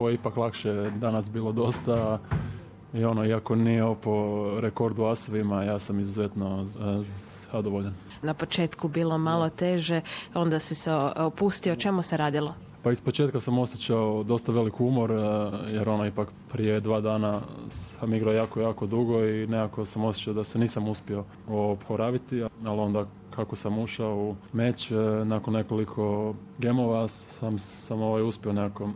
Ovo je ipak lakše danas bilo dosta i iako nije po rekordu asovima, ja sam izuzetno zadovoljan. Na početku bilo malo teže, onda si se opustio. O čemu se radilo? Pa iz početka sam osjećao dosta velik umor, jer ipak prije 2 dana sam igrao jako dugo i nekako sam osjećao da se nisam uspio oporaviti, ali onda kako sam ušao u meč, nakon nekoliko gemova sam uspio nekako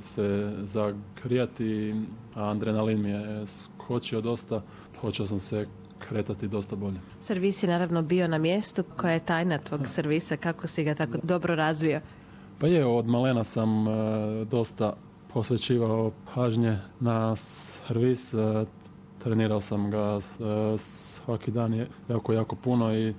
se zagrijati, a adrenalin mi je skočio dosta, počeo sam se kretati dosta bolje. Servis je naravno bio na mjestu. Koja je tajna tvog servisa? Kako si ga tako dobro razvio? Pa od malena sam dosta posvećivao pažnje na servis, trenirao sam ga svaki dan jako puno i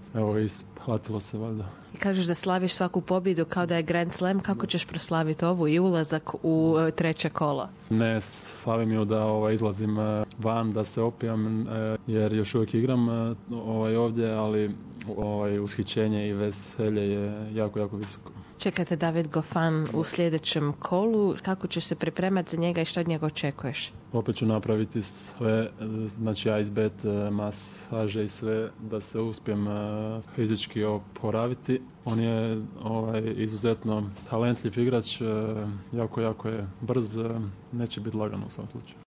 isplatilo se valjda. I kažeš da slaviš svaku pobjedu kao da je Grand Slam. Kako ćeš proslaviti ovu i ulazak u 3. kolo? Ne slavim ju da izlazim van, da se opijam, jer još uvijek igram ovdje, ali ushićenje i veselje je jako visoko. Čekate David Goffin u sljedećem kolu. Kako ćeš se pripremati za njega i što od njega očekuješ? Opet ću napraviti sve, znači ice bet, masaže i sve, da se uspijem fizički oporaviti. On je izuzetno talentljiv igrač, jako je brz, neće biti lagano u svom slučaju.